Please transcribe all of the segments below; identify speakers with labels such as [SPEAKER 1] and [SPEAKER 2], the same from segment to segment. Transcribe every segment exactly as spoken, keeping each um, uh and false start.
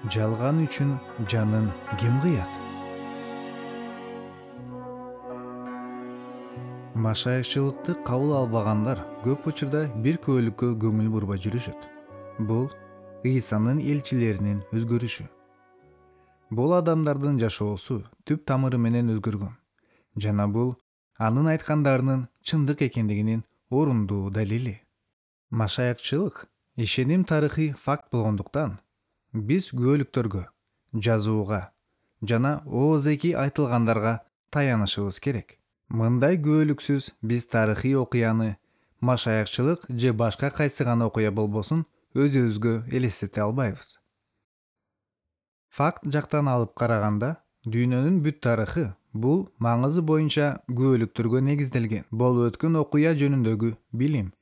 [SPEAKER 1] Жалган үчүн жанын ким кыят? Машаякчылыкты кабыл албагандар көп учурда бир көөлүккө көңүл бурбай жүрүшөт. Бул Ыйсанын элчилеринин өзгөрүшү. Бул адамдардын жашоосу түп тамыры менен өзгөргөн. Жана бул анын айткандарынын чындык экендигинин орундуу далили. Машаякчылык ишеним тарыхый факт болгондуктан биз күбөлүктөргө, жазууга жана оозеки айтылгандарга таянышыбыз керек. Мындай күбөлүксүз биз тарыхый окуяны, машаякчылык же башка кайсы гана окуя болбосун өзүбүзгө элестете албайбыз. Факт жактан алып караганда, дүйнөнүн бүт тарыхы бул маңызы боюнча күбөлүктөргө негизделген болуп өткөн окуя жөнүндөгү билим.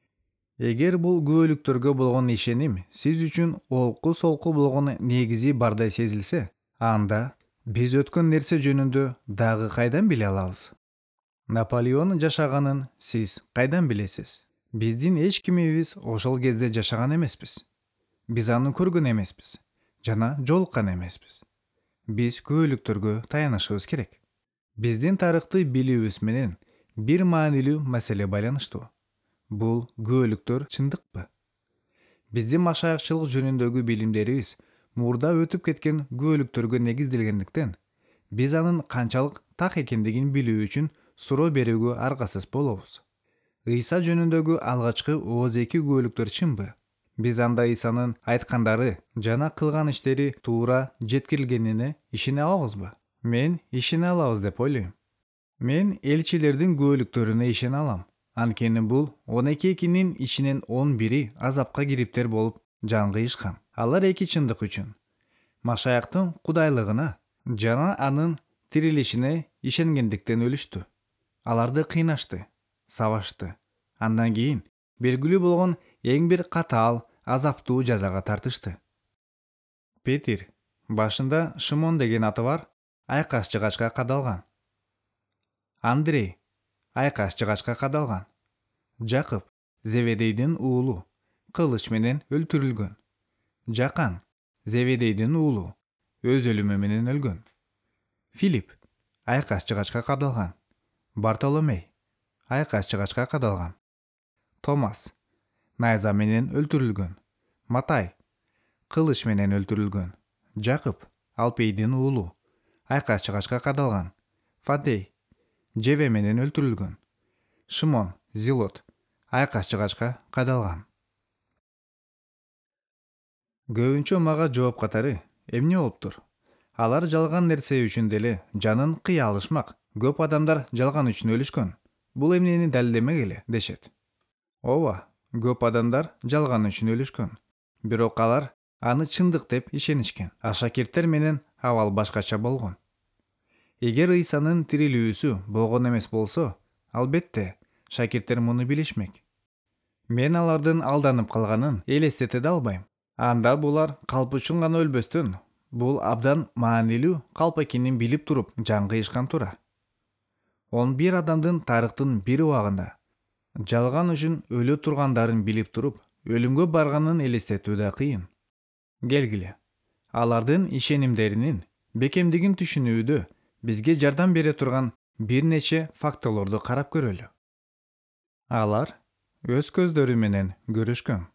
[SPEAKER 1] Эгер бул күбөлүктөргө болгон ишеним сиз үчүн олку-солку болгон негизи бардай сезилсе, анда биз өткөн нерсе жөнүндө дагы кайдан биле алабыз? Наполеон жашаганын сиз кайдан билесиз? Биздин эч кимибиз ошол кезде жашаган эмеспиз. Биз аны көргөн эмеспиз жана жолуккан эмеспиз. Биз күбөлүктөргө таянышыбыз керек. Биздин тарыхты билүүбүз менен бир маанилүү маселе байланыштуу. Бул күбөлүктөр чындыкпы? Биздин машаякчылык жөнүндөгү билимдерибиз мурда өтүп кеткен күбөлүктөргө негизделгендиктен, биз анын канчалык так экендигин билүү үчүн суроо берүүгө аргасыз болобуз. Ыйса жөнүндөгү алгачкы оозеки күбөлүктөр чынбы? Биз анда Ыйсанын айткандары жана кылган иштери туура жеткирилгенине ишене алабызбы? Мен ишене алабыз деп ойлойм. Мен элчилердин күбөлүктөрүнө ишене алам. Анткени бул он экинин ичинен он бири азапка кириптер болуп жан кыйышкан. Алар эки чындык үчүн Машаяктын кудайлыгына жана анын тирилишине ишенгендиктен өлүштү. Аларды кыйнашты, сабашты. Андан кийин белгилүү болгон эң бир катаал, азаптуу жазага тартышты. Петир, башында Шымон деген аты бар, айкаш жыгачка кадалган. Андрей, айкаш жыгачка кадалган. Жакып, Зеведейдин уулу, кылыч менен өлтүрүлгөн. Жакан, Зеведейдин уулу, өз өлүмү менен өлгөн. Филипп, айкаш жыгачка кадалган. Бартоломей, айкаш жыгачка кадалган. Томас, найза менен өлтүрүлгөн. Матай, кылыч менен өлтүрүлгөн. Жакып, Алпейдин уулу, айкаш жыгачка кадалган. Фадей, жебе менен өлтүрүлгөн. Шымон, Зилот, айкаш жыгачка кадалган. Көбүнчө мага жооп катары эмне болуптур? Алар жалган нерсе үчүн деле жанын кыя алышмак. Көп адамдар жалган үчүн өлүшкөн. Бул эмнени далилдемек эле дешет. Ооба, көп адамдар жалган үчүн өлүшкөн. Бирок алар аны чындык деп ишенишкен. А шакирттер менен абал башкача болгон. Эгер Ыйсанын тирилүүсү болгон эмес болсо, албетте, шакирттер муну билишмек. Мен алардын алданып калганын элестете да албайм. Анда булар калп үчүн гана өлбөстөн, бул абдан маанилүү калп экенин билип туруп жан кыйышкан туура. он бир адамдын тарыхтын бир убагында жалган үчүн өлө тургандарын билип туруп, өлүмгө барганын элестетүү да кыйын. Келгиле, алардын ишенимдеринин бекемдигин түшүнүүдө бизге жардам бере турган бир нече фактыларды карап көрөлү. Алар өз көздөрү менен көрүшкөн.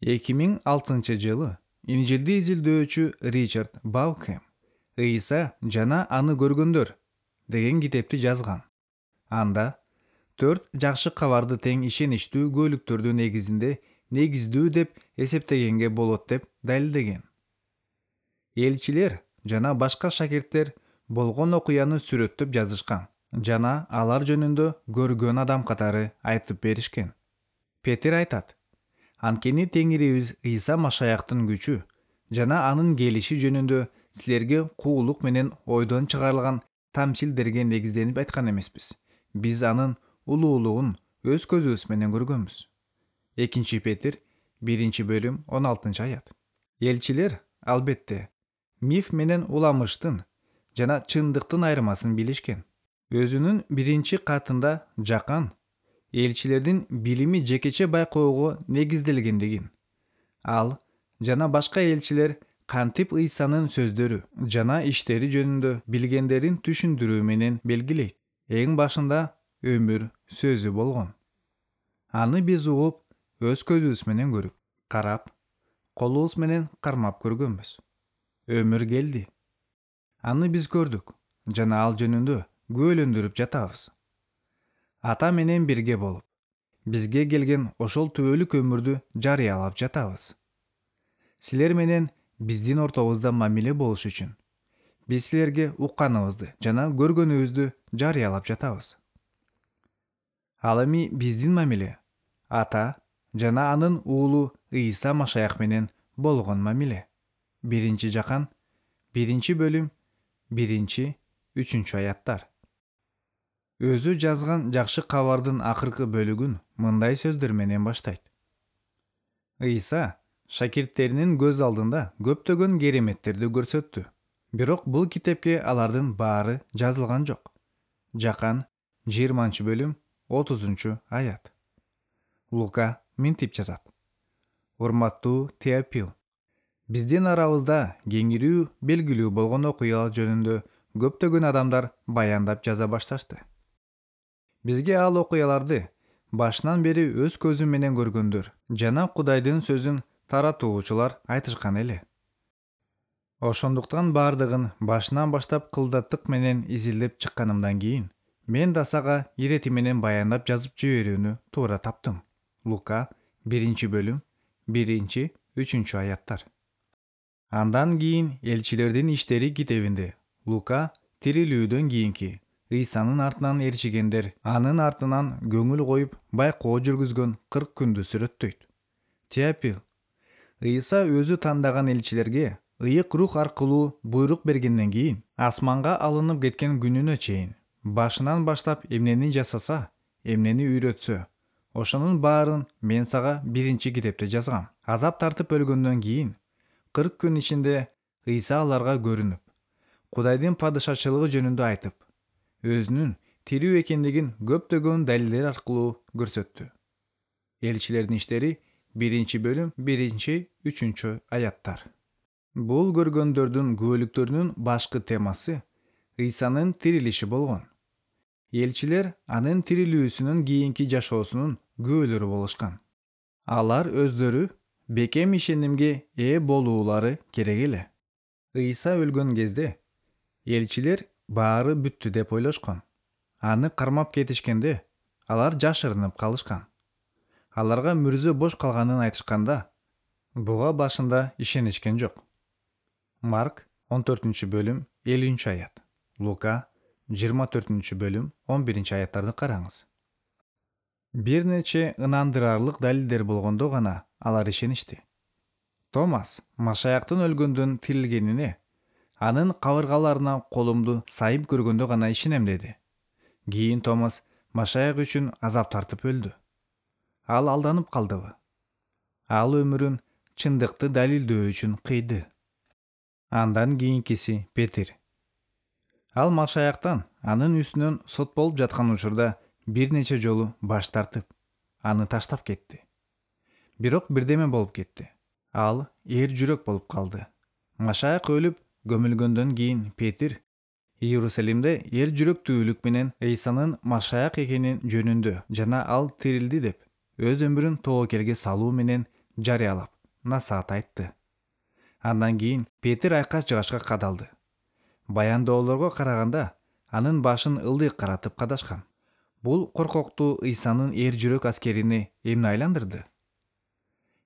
[SPEAKER 1] эки миң алтынчы жылы Инжилди изилдөөчү Ричард Баукхэм «Ыйса жана аны көргөндөр» деген китепти жазган. Анда төрт жакшы кабарды тең ишеничтүү күбөлүктөрдү негизинде негиздүү деп эсептегенге болот деп далилдеген. Элчилер жана башка шакирттер болгон окуяны сүрөттөп жазышкан жана алар жөнүндө көргөн адам катары айтып беришкен. Петир айтат: «Анткени Теңирибиз Ыйса Машаяктын күчү жана анын келиши жөнүндө силерге куулук менен ойдон чыгарылган тамсилдерге негизденип айткан эмеспиз. Биз анын улуулугун өз көзүбүз менен көргөнбүз». экинчи Петир биринчи бөлүм он алтынчы аят. Элчилер, албетте, миф менен уламыштын жана чындыктын айырмасын билишкен. Өзүнүн биринчи катында Жакан элчилердин билими жекече байкоого негизделгендигин, ал жана башка элчилер кантип Ыйсанын сөздөрү жана иштери жөнүндө билгендерин түшүндүрүү менен белгилейт. Эң башында өмүр сөзү болгон. Аны биз угуп, өз көзүбүз менен көрүп, карап, колубуз менен кармап көргөнбүз. Өмүр келди. Аны биз көрдүк жана ал жөнүндө күбөлөндүрүп жатабыз. Ата менен бирге болуп, бизге келген ошол түбөлүк өмүрдү жарыялап жатабыз. Силер менен биздин ортобузда мамиле болуш үчүн биз силерге укканыбызды жана көргөнүбүздү жарыялап жатабыз. Ал эми биздин мамиле Ата жана анын уулу Ыйса Машаях менен болгон мамиле. Биринчи Жакан, биринчи бөлүм, биринчи, үчүнчү аяттар. Өзү жазган жакшы кабардын акыркы бөлүгүн мындай сөздөр менен баштайт. Ыйса шакирттеринин көз алдында көптөгөн кереметтерди көрсөттү. Бирок бул китепке алардын баары жазылган жок. Жакан жыйырманчы бөлүм, отузунчу аят. Лука мынтип жазат. Урматтуу Теопил, биздин арабызда кеңирүү белгилүү болгон окуялар жөнүндө көптөгөн адамдар баяндап жаза башташты. Бизге ал окуяларды башынан бери өз көзү менен көргөндөр жана Кудайдын сөзүн таратуучулар айтышкан эле. Ошондуктан баардыгын башынан баштап кылдаттык менен изилдеп чыкканымдан кийин мен да сага ирети менен баяндап жазып жиберүүнү туура таптым. Лука биринчи бөлүм, биринчи, үчүнчү аяттар. Андан кийин элчилердин иштери китебинде Лука тирилүүдөн кийинки Ыйсанын артынан ээрчигендер анын артынан көңүл коюп байкоо жүргүзгөн кырк күндү сүрөттөйт. Теопил, Ыйса өзү тандаган элчилерге ыйык рух аркылуу буйрук бергенден кийин асманга алынып кеткен күнүнө чейин башынан баштап эмнени жасаса, эмнени үйрөтсө, ошонун баарын мен сага биринчи китепте жазгам. Азап тартып өлгөндөн кийин кырк күн ичинде Ыйса аларга көрүнүп, Кудайдын падышачылыгы жөнүндө айтып, өзүнүн тирүү экендигин көптөгөн далилдер аркылуу көрсөттү. Элчилердин иштери биринчи бөлүм, биринчи, үчүнчү аяттар. Бул көргөндөрдүн күбөлүктөрүнүн башкы темасы Ыйсанын тирилиши болгон. Элчилер анын тирилүүсүнөн кийинки жашоосунун күбөлөрү болушкан. Алар өздөрү бекем ишенимге ээ болуулары керек эле. Ыйса өлгөн кезде элчилер баары бүттү деп ойлошкон. Аны кармап кетишкенде алар жашырынып калышкан. Аларга мүрзө бош калганын айтышканда буга башында ишенишкен жок. Марк он төртүнчү бөлүм, элүүнчү аят. Лука жыйырма төртүнчү бөлүм, он биринчи аяттарды караңыз. Бир нече ынандырарлык далилдер болгондо гана алар ишеништи. Томас Машаяктын өлгөндөн тирилгенине анын кабыргаларына колумду сайып көргөндө гана ишенем деди. Кийин Томас Машаяк үчүн азап тартып өлдү. Ал алданып калдыбы? Ал өмүрүн чындыкты далилдөө үчүн кыйды. Андан кийинкиси Петир. Ал Машаяктан анын үстүнөн сот болуп жаткан учурда бир нече жолу баш тартып, аны таштап кетти. Бирок бирдеме болуп кетти. Ал эр жүрөк болуп калды. Машаяк өлүп көмүлгөндөн кийин Петир Иерусалимде эр жүрөктүүлүк менен Ыйсанын Машаяк экенин жөнүндө жана ал тирилди деп өз өмүрүн тобокелге салуу менен жарыялап, насаат айтты. Андан кийин Петир айкаш-жыгашка кадалды. Баянdoолорго караганда анын башын ылдый каратып кадашкан. Бул коркоктуу Ыйсанын эр жүрөк аскерине эмне айландырды?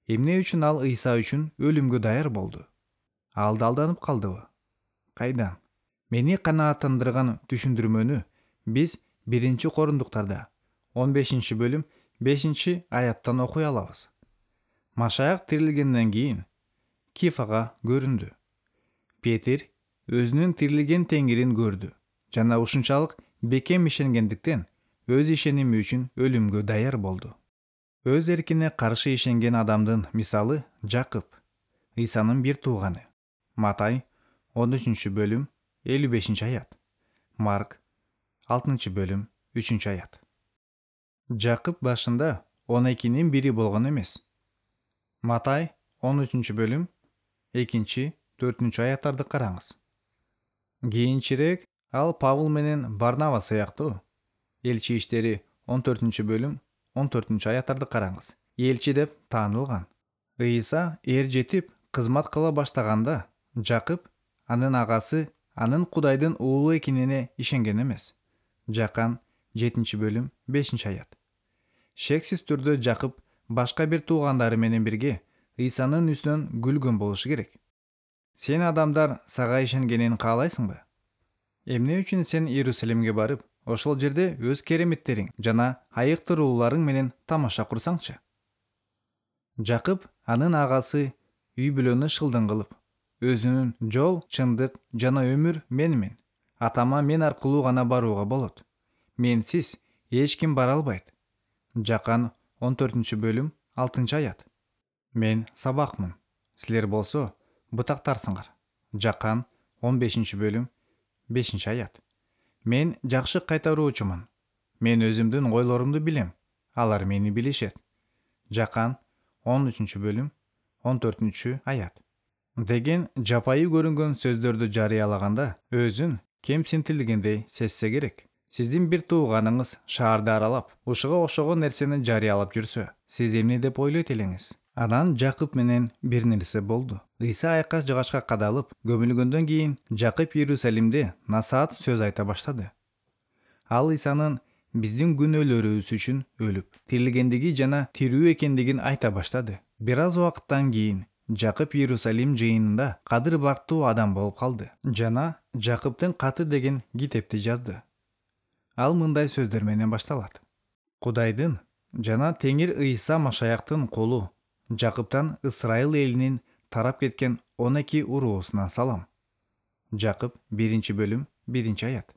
[SPEAKER 1] Эмне үчүн ал Ыйса үчүн өлүмгө даяр болду? Ал да алданып калдыбы? Кайдан? Мени канааттандырган түшүндүрмөнү биз биринчи Корундуктарда он бешинчи бөлүм, бешинчи аяттан окуй алабыз. Машаяк тирилгенден кийин Кифага көрүндү. Петир өзүнүн тирилген теңирин көрдү жана ушунчалык бекем ишенгендиктен өз ишеними үчүн өлүмгө даяр болду. Өз эркине каршы ишенген адамдын мисалы Жакып, Ыйсанын бир тууганы. Матай он үчүнчү бөлүм, элүү бешинчи аят. Марк алтынчы бөлүм, үчүнчү аят. Жакып башында он экинин бири болгон эмес. Матай он үчүнчү бөлүм, экинчи, төртүнчү аяттарды караңыз. Кийинчерээк ал Павыл менен Барнаба сыяктуу. Элчи иштери он төртүнчү бөлүм он төртүнчү аяттарды караңыз. Элчи деп таанылган. Ыйса эр жетип кызмат кыла баштаганда Жакып анын агасы анын Кудайдын уулу экенине ишенген эмес. Жакан жетинчи бөлүм бешинчи аят. Шексиз түрдө Жакып башка бир туугандары менен бирге Ыйсанын үстүнөн күлгөн болушу керек. Сен адамдар сага ишенгенин каалайсыңбы? Эмне үчүн сен Иерусалимге барып, ошол жерде өз кереметтериң жана айыктырууларың менен тамаша курсаңчы? Жакып анын агасы үй бүлөнү шылдың кылып, өзүнүн жол, чындык жана өмүр менмин. Атама мен аркылуу гана барууга болот. Менсиз эч ким бара албайт. Жакан он төртүнчү бөлүм алтынчы аят. Мен сабакмын, силер болсо бутактарсыңар. Жакан он бешинчи бөлүм бешинчи аят. Мен жакшы кайтаруучумун. Мен өзүмдүн ойлорумду билем, алар мени билишет. Жакан он үчүнчү бөлүм он төртүнчү аят. Деген жапайы көрүнгөн сөздөрдү жарыялаганда өзүн кемсинтилгендей сезсе керек. Сиздин бир тууганыңыз шаарды аралап, ушуга окшогон нерсени жарыялап жүрсө, сиз эмне деп ойлойт элеңиз? Анан Жакып менен бир нерсе болду. Ыйса айкаш жыгачка кадалып, көмүлгөндөн кийин Жакып Иерусалимде насаат сөз айта баштады. Ал Ыйсанын биздин күнөөлөрүбүз үчүн өлүп, тирилгендиги жана тирүү экендигин айта баштады. Бир аз убакыттан кийин Жакып Иерусалим жыйынында кадыр бактуу адам болуп калды жана Жакыптын каты деген китепти жазды. Ал мындай сөздөр менен башталат. Кудайдын жана Теңир Ыйса Машаяктын колу Жакыптан Ысрайыл элинин тарап кеткен он эки уруусуна салам. Жакып биринчи бөлүм биринчи аят.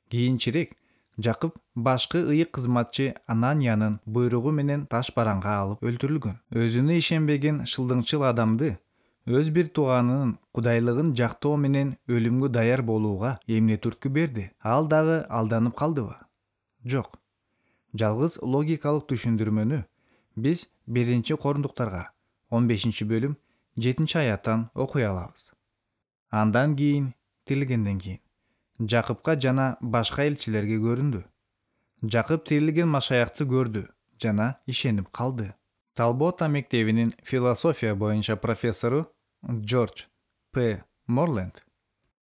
[SPEAKER 1] Кийинчерээк Жакып башкы ыйык кызматчы Ананьянын буйругу менен таш бараңга алып өлтүрүлгөн. Өзүнө ишенбеген шылдыңчыл адамды өз бир тууганынын кудайлыгын жактоо менен өлүмгө даяр болууга эмне түрткү берди? Ал дагы алданып калдыбы? Жок. Жалгыз логикалык түшүндүрмөнү биз биринчи Корундуктарга он бешинчи бөлүм жетинчи аяттан окуй алабыз. Андан кийин, тирилгенден кийин Жакыпка жана башка элчилерге көрүндү. Жакып тирилген Машаякты көрдү жана ишенип калды. Талбота мектебинин философия боюнча профессору Джордж П. Морленд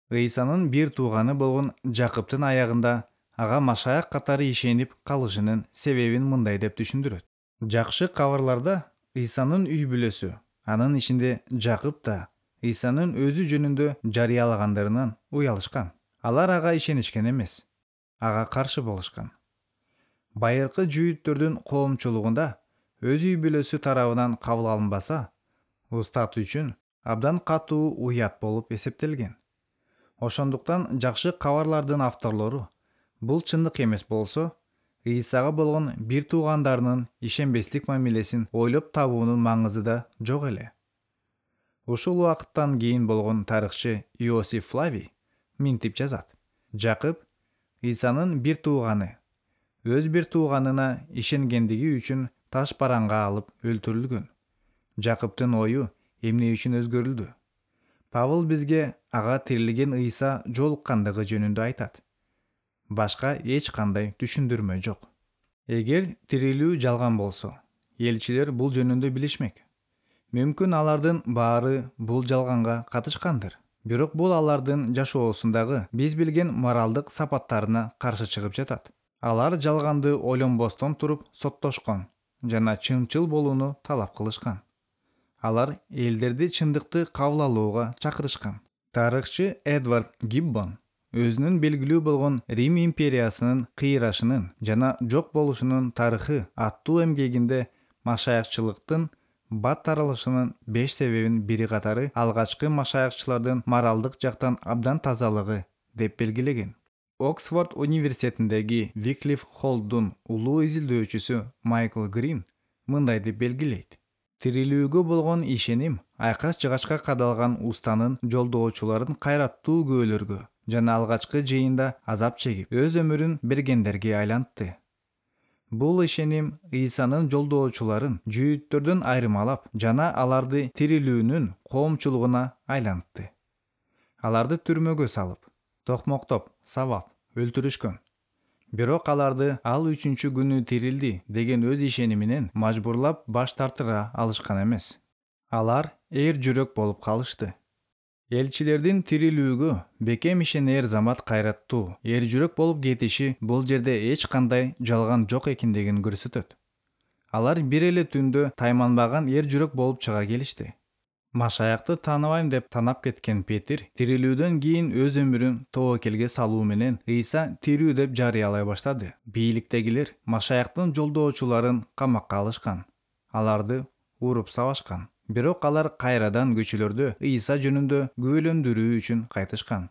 [SPEAKER 1] Ыйсанын бир тууганы болгон Жакыптын аягында ага Машаяк катары ишенип калышынын себебин мындай деп түшүндүрөт. Жакшы кабарларда Ыйсанын үй бүлөсү, анын ичинде Жакып да Ыйсанын өзү жөнүндө жарыялагандарынан уялышкан. Алар ага ишенишкен эмес, ага каршы болушкан. Байыркы жүйүттөрдүн коомчулугунда өз үй бүлөсү тарабынан кабыл алынбаса, устат үчүн абдан катуу уят болуп эсептелген. Ошондуктан жакшы кабарлардын авторлору бул чындык эмес болсо, Ыйсага болгон бир туугандарынын ишенбестик мамилесин ойлоп табуунун маңызы да жок эле. Ушул убакыттан кийин болгон тарыхчы Иосиф Флавий минтип жазат. Жакып Ыйсанын бир тууганы, өз бир тууганына ишенгендиги үчүн таш бараңга алып өлтүрүлгөн. Жакыптын ою эмне үчүн өзгөрүлдү? Павыл бизге ага тирилген Ыйса жолуккандыгы жөнүндө айтат. Башка эч кандай түшүндүрмө жок. Эгер тирилүү жалган болсо, элчилер бул жөнүндө билишмек. Мүмкүн алардын баары бул жалганга катышкандыр. Бирок бул алардын жашоосундагы биз билген моралдык сапаттарына каршы чыгып жатат. Алар жалганды ойлонбостон туруп соттошкон жана чынчыл болууну талап кылышкан. Алар элдерди чындыкты кабыл алууга чакырышкан. Тарыхчы Эдвард Гиббон өзүнүн белгилүү болгон Рим империясынын кыйрашынын жана жок болушунун тарыхы аттуу эмгегинде машаякчылыктын бат таралышынын беш себебин бири катары алгачкы машаякчылардын моралдык жактан абдан тазалыгы деп белгилеген. Оксфорд университетиндеги Виклиф Холлдун улуу изилдөөчүсү Майкл Грин мындай деп белгилейт. Тирилүүгө болгон ишеним айкаш жыгачка кадалган устанын жолдоочуларын кайраттуу күбөлөргө жана алгачкы жыйында азап чегип, өз өмүрүн бергендерге айлантты. Бул ишеним Ыйсанын жолдоочуларын жүйүттөрдөн айырмалап жана аларды тирилүүнүн коомчулугуна айлантты. Аларды түрмөгө салып, токмоктоп, сабап, өлтүрүшкөн. Бирок аларды ал үчүнчү күнү тирилди деген өз ишениминен мажбурлап баш тартыра алышкан эмес. Алар эр жүрөк болуп калышты. Элчилердин тирилүүгө бекем ишенер замат кайраттуу, эр жүрөк болуп кетиши бул жерде эч кандай жалган жок экендигин көрсөтөт. Алар бир эле түндө тайманбаган эр жүрөк болуп чыга келишти. Машаякты тааныбайм деп танап кеткен Петир тирилүүдөн кийин өз өмүрүн тобокелге салуу менен Ыйса тирүү деп жарыялай баштады. Бийликтегилер Машаяктын жолдоочуларын камакка алышкан. Аларды уруп сабашкан. Бирок алар кайрадан көчөлөрдө Ыйса жөнүндө күбөлөндүрүү үчүн кайтышкан.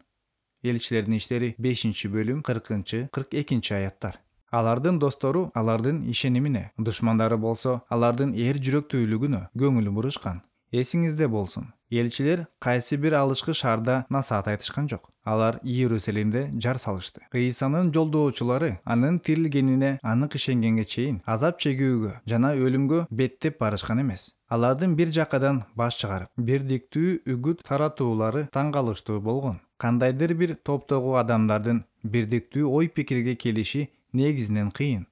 [SPEAKER 1] Элчилердин иштери бешинчи бөлүм кыркынчы кырк экинчи аяттар. Алардын достору алардын ишенимине, душмандары болсо алардын эр жүрөктүүлүгүнө көңүл бурушкан. Эсиңизде болсун, элчилер кайсы бир алышкы шаарда насаат айтышкан жок. Алар Иерусалимде жар салышты. Ыйсанын жолдоочулары анын тирилгенине анык ишенгенге чейин азап чегүүгө жана өлүмгө беттеп барышкан эмес. Алардын бир жакадан баш чыгарып, бирдиктүү үгүт таратуулары таң калыштуу болгон. Кандайдыр бир топтогу адамдардын бирдиктүү ой пикирге келиши негизинен кыйын.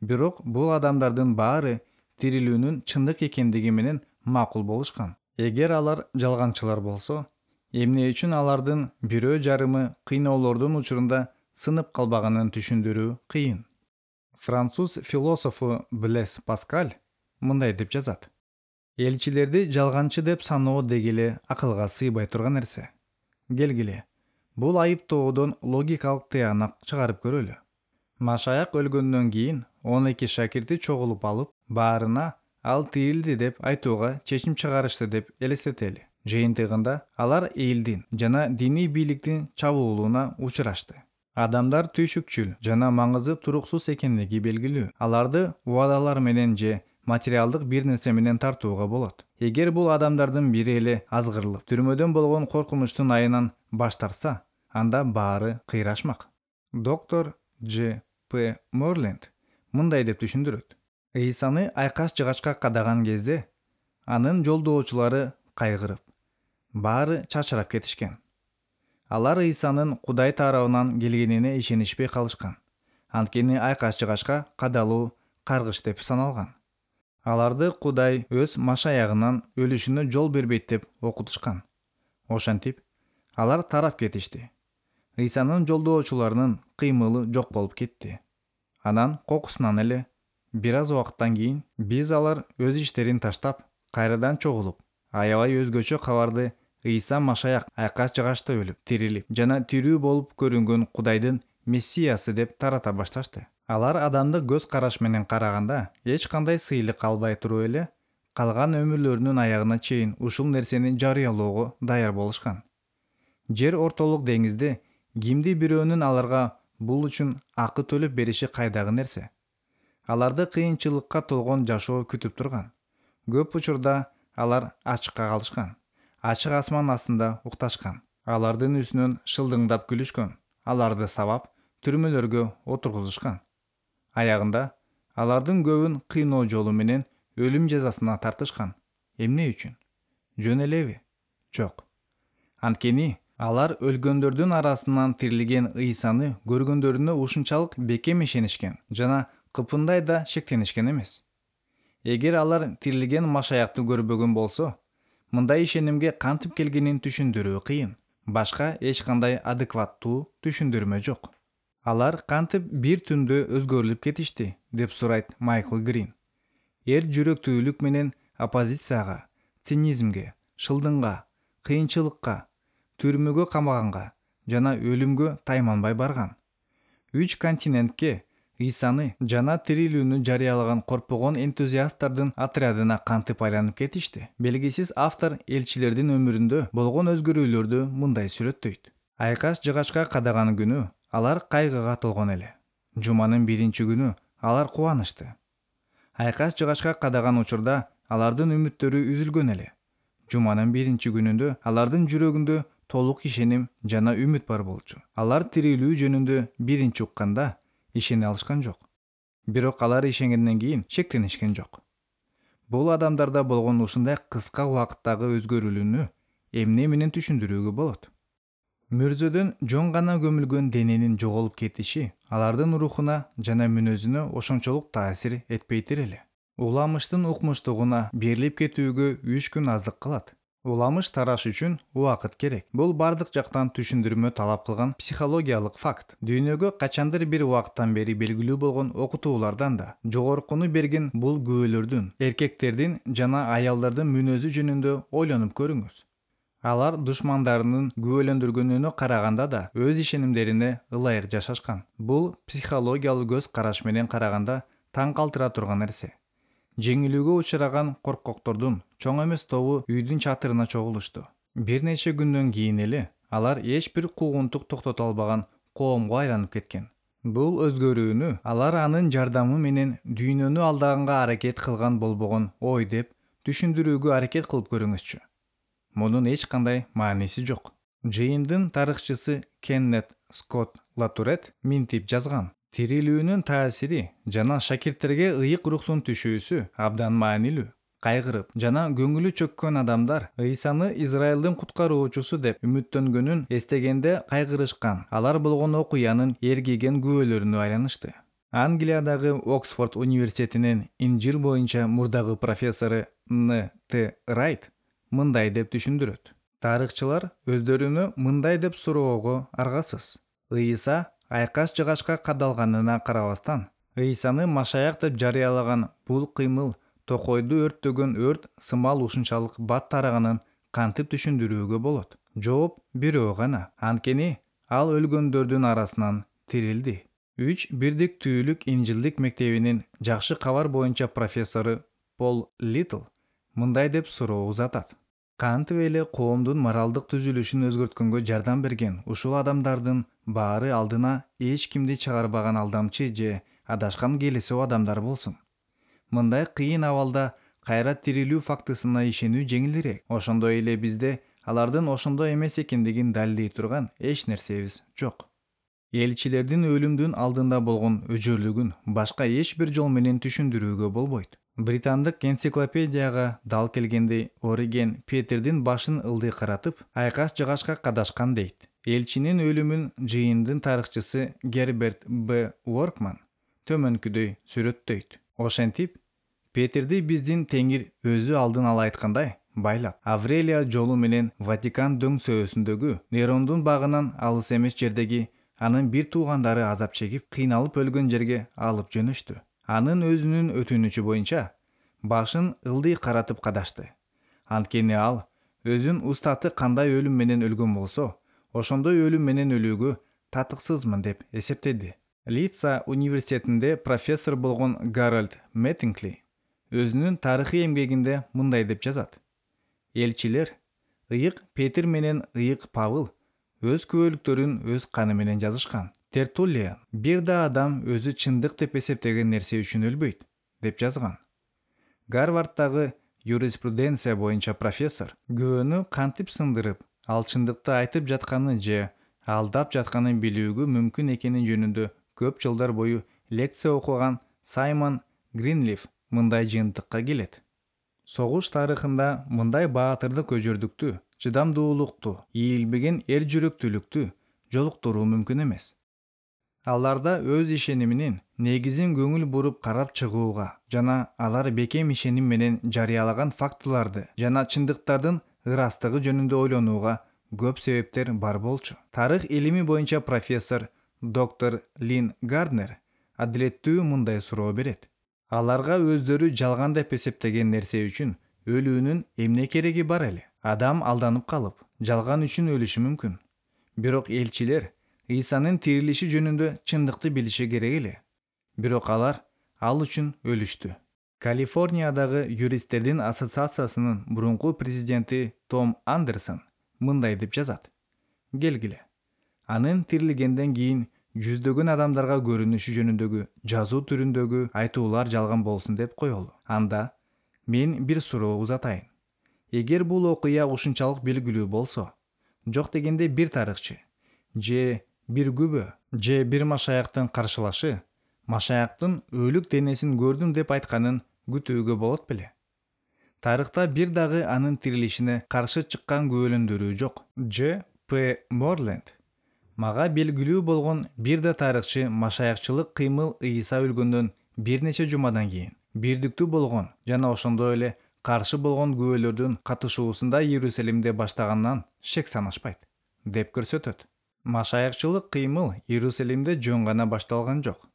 [SPEAKER 1] Бирок бул адамдардын баары тирилүүнүн чындык экендиги менен макул болушкан. Эгер алар жалганчылар болсо, эмне үчүн алардын бирөө жарымы кыйноолордун учурунда сынып калбаганын түшүндүрүү кыйын. Француз философу Блес Паскаль мындай деп жазат: элчилерди жалганчы деп саноо дегеле акылга сыйбай турган нерсе. Келгиле, бул айыптоодон логикалык тыянак чыгарып көрөлү. Машаяк өлгөндөн кийин он эки шакирти чогулуп алып, баарына ал тирилди деп айтууга чечим чыгарышты деп элестетели. Жыйынтыгында алар элдин жана диний бийликтин чабуулуна учурашты. Адамдар түйшүкчүл жана маңызы туруксуз экендиги белгилүү. Аларды убадалар менен же материалдык бир нерсе менен тартууга болот. Эгер бул адамдардын бири эле азгырылып, түрмөдөн болгон коркунучтун айынан баш тартса, анда баары кыйрашмак. Доктор Дж. П. Морленд мындай деп түшүндүрөт: Ыйсаны айкаш-жыгачка кадаган кезде анын жолдоочулары кайгырып, баары чачырап кетишкен. Алар Ыйсанын Кудай тарабынан келгенине ишенишпей калышкан. Анткени айкаш-жыгачка кадалуу каргыш деп саналган. Аларды Кудай өз машаягынан өлүшүнө жол бербейт деп окутушкан. Ошентип, алар тарап кетишти. Ыйсанын жолдоочуларынын кыймылы жок болуп кетти. Анан кокусунан эле бир аз убакыттан кийин биз алар өз иштерин таштап, кайрадан чогулуп, аябай өзгөчө кабарды Ыйса Машаяк айкаш-жыгачта өлүп, тирилип жана тирүү болуп көрүнгөн Кудайдын Мессиясы деп тарата башташты. Алар адамдык көз караш менен караганда эч кандай сыйлык албай туруп эле калган өмүрлөрүнүн аягына чейин ушул нерсени жарыялоого даяр болушкан. Жер ортолук деңизде кимди бирөөнүн аларга бул үчүн акы төлөп бериши кайдагы нерсе. Аларды кыйынчылыкка толгон жашоо күтүп турган. Көп учурда алар ачыкка калышкан. Ачык асман астында укташкан. Алардын үстүнөн шылдыңдап күлүшкөн. Аларды сабап, түрмөлөргө отургузушкан. Аягында алардын көбүн кыйноо жолу менен өлүм жазасына тартышкан. Эмне үчүн? Жөн элеби? Жок. Анткени алар өлгөндөрдүн арасынан тирилген Ыйсаны көргөндөрүнө ушунчалык бекем ишенишкен жана кыпындай да шектенишкен эмес. Эгер алар тирилген Машаякты көрбөгөн болсо, мындай ишенимге кантип келгенин түшүндүрүү кыйын. Башка эч кандай адекваттуу түшүндүрмө жок. Алар кантип бир түндө өзгөрүлүп кетишти, деп сурайт Майкл Грин. Эр жүрөктүүлүк менен оппозицияга, цинизмге, шылдыңга, кыйынчылыкка, түрмөгө камаганга жана өлүмгө тайманбай барган. Үч континентке Ыйсаны жана тирилүүнү жарыялаган коркпогон энтузиасттардын отрядына кантип айланып кетишти. Белгисиз автор элчилердин өмүрүндө болгон өзгөрүүлөрдү мындай сүрөттөйт. Айкаш-жыгачка кадаган күнү алар кайгыга толгон эле. Жуманын биринчи күнү алар кубанышты. Айкаш-жыгачка кадаган учурда алардын үмүттөрү үзүлгөн эле. Жуманын биринчи күнүндө алардын жүрөгүндө толук ишеним жана үмүт бар болчу. Алар тирилүү жөнүндө биринчи укканда ишене алышкан жок. Бирок алар ишенгенден кийин шектенишкен жок. Бул адамдарда болгон ушундай кыска убакыттагы өзгөрүүлүүнү эмне менен түшүндүрүүгө болот? Мөрзөдөн жон гана көмүлгөн дененин жоголуп кетиши алардын рухуна жана мүнөзүнө ошончолук таасир этпейтир эле. Уламыштын укмуштугуна берилип кетүүгө үч күн аздык кылат. Уламыш тараш үчүн убакыт керек. Бул бардык жактан түшүндүрмө талап кылган психологиялык факт. Дүйнөгө качандыр бир убакыттан бери белгилүү болгон окутуулардан да жогоркуну берген бул күбөлөрдүн, эркектердин жана аялдардын мүнөзү жөнүндө ойлонуп көрүңүз. Алар душмандарынын күбөлөндүргөнүнө караганда да өз ишенимдерине ылайык жашашкан. Бул психологиялык көз караш менен караганда таң калтыра турган нерсе. Жеңилүүгө учураган коркоктордун чоң эмес тобу үйдүн чатырына чогулушту. Бир нече күндөн кийин эле алар эч бир куугунтук токтото албаган коомго айланып кеткен. Бул өзгөрүүнү алар анын жардамы менен дүйнөнү алдаганга аракет кылган болбогон ой деп түшүндүрүүгө аракет кылып көрүңүзчү. Мунун эч кандай мааниси жок. Жыйындын тарыхчысы Кеннет Скотт Латурет минтип жазган: тирилүүнүн таасири жана шакирттерге ыйык рухтун түшүүсү абдан маанилүү. Кайгырып жана көңүлү чөккөн адамдар Ыйсаны Израилдин куткаруучусу деп үмүттөнгөнүн эстегенде кайгырышкан. Алар болгон окуянын эргиген күбөлөрүнө айланышты. Англиядагы Оксфорд университетинин Инжил боюнча мурдагы профессору Н Т Райт мындай деп түшүндүрөт. Тарыхчылар өздөрүнө мындай деп суроого аргасыз. Ыйса айкаш жыгачка кадалганына карабастан, Ыйсаны Машаяк деп жарыялаган бул кыймыл токойду өрттөгөн өрт сымал ушунчалык бат тараганын кантип түшүндүрүүгө болот? Жооп бирөө гана. Анткени ал өлгөндөрдүн арасынан тирилди. Үч бирдиктүүлүк инжилдик мектебинин жакшы кабар боюнча профессору Пол Литл мындай деп суроо узатат. Кантип эле коомдун моралдык түзүлүшүн өзгөрткөнгө жардам берген ушул адамдардын баары алдына эч кимди чыгарбаган алдамчы же адашкан келесоо адамдар болсун. Мындай кыйын абалда кайра тирилүү фактысына ишенүү жеңилирээк. Ошондой эле бизде алардын ошондой эмес экендигин далилдей турган эч нерсебиз жок. Элчилердин өлүмдүн алдында болгон өжөрлүгүн башка эч бир жол менен түшүндүрүүгө болбойт. Британдык энциклопедияга дал келгенде Ориген Петердин башын ылдый каратып, айкаш жыгачка кадашкан дейт. Элчинин өлүмүн жыйындын тарыхчысы Герберт Б. Уоркман төмөнкүдөй сүрөттөйт. Ошентип, Петерди биздин Теңир өзү алдын ала айткандай байлап, Аврелия жолу менен Ватикан дөңсөөсүндөгү Нерондун багынан алыс эмес жердеги анын бир туугандары азап чегип, кыйналып өлгөн жерге алып жөнөштү. Анын өзүнүн өтүнүчү боюнча башын ылдый каратып кадашты. Анткени ал өзүн устаты кандай өлүм менен өлгөн болсо, ошондой өлүм менен өлүүгө татыксызмын деп эсептеди. Лидса университетинде профессор болгон Гарольд Мэттингли өзүнүн тарыхый эмгегинде мындай деп жазат. Элчилер ыйык Петр менен ыйык Павыл өз күбөлүктөрүн өз каны менен жазышкан. Тертуллиан бир да адам өзү чындык деп эсептеген нерсе үчүн өлбөйт деп жазган. Гарвардтагы юриспруденция боюнча профессор күбөнү кантип сындырып, ал чындыкты айтып жатканын же алдап жатканын билүүгө мүмкүн экени жөнүндө көп жылдар бою лекция окуган Саймон Гринлиф мындай жыйынтыкка келет. Согуш тарыхында мындай баатырдык өжөрдүктү, чыдамдуулукту, ийилбеген эр жүрөктүүлүктү жолуктуруу мүмкүн эмес. Аларда өз ишениминин негизин көңүл буруп карап чыгууга жана алар бекем ишеним менен жарыялаган фактыларды жана чындыктардын ырастыгы жөнүндө ойлонууга көп себептер бар болчу. Тарых илими боюнча профессор доктор Лин Гарднер адилеттүү мындай суроо берет. Аларга өздөрү жалган деп эсептеген нерсе үчүн өлүүнүн эмне кереги бар эле? Адам алданып калып, жалган үчүн өлүшү мүмкүн. Бирок элчилер Ыйсанын тирилиши жөнүндө чындыкты билиши керек эле. Бирок алар ал үчүн өлүштү. Калифорниядагы юристтердин ассоциациясынын мурунку президенти Том Андерсон мындай деп жазат. Келгиле. Анын тирилгенден кийин жүздөгөн адамдарга көрүнүшү жөнүндөгү жазуу түрүндөгү айтуулар жалган болсун деп коелу. Анда мен бир суроо узатайын. Эгер бул окуя ушунчалык белгилүү болсо, жок дегенде бир тарыхчы же бир күбө же бир машаяктын каршылашы Машаяктын өлүк денесин көрдүм деп айтканын күтүүгө болот беле? Тарыхта бир дагы анын тирилишине каршы чыккан күбөлөндөрүү жок. Дж. П. Морленд. Мага белгилүү болгон бир да тарыхчы машаякчылык кыймыл Ыйса өлгөндөн бир нече жумадан кийин бирдиктүү болгон жана ошондой эле каршы болгон күбөлөрдүн катышуусунда Иерусалимде баштаганынан шек санашпайт, деп көрсөтөт. Машаякчылык кыймыл Иерусалимде жөн гана башталган жок.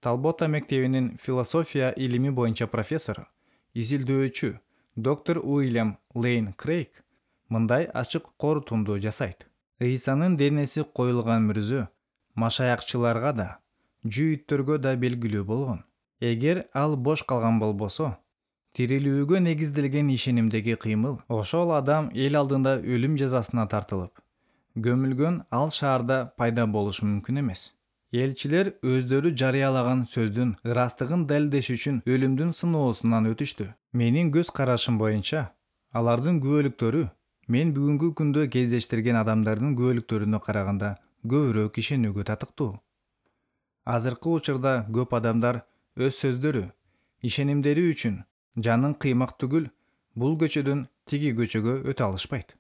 [SPEAKER 1] Талбота мектебинин философия илими боюнча профессору, изилдөөчү доктор Уильям Лейн Крейг мындай ачык корутунду жасайт. Ыйсанын денеси коюлган мүрзө машаякчыларга да, жүйүттөргө да белгилүү болгон. Эгер ал бош калган болбосо, тирилүүгө негизделген ишенимдеги кыймыл ошол адам эл алдында өлүм жазасына тартылып, көмүлгөн ал шаарда пайда болушу мүмкүн эмес. Элчилер өздөрү жарыялаган сөздүн ырастыгын далилдеш үчүн өлүмдүн сыноосунан өтүштү. Менин көз карашым боюнча, алардын күбөлүктөрү мен бүгүнкү күндө кездештирген адамдардын күбөлүктөрүнө караганда көбүрөөк ишенүүгө татыктуу. Азыркы учурда көп адамдар өз сөздөрү, ишенимдери үчүн жанын кыймак түгүл, бул көчөдөн тиги көчөгө өтө алышпайт.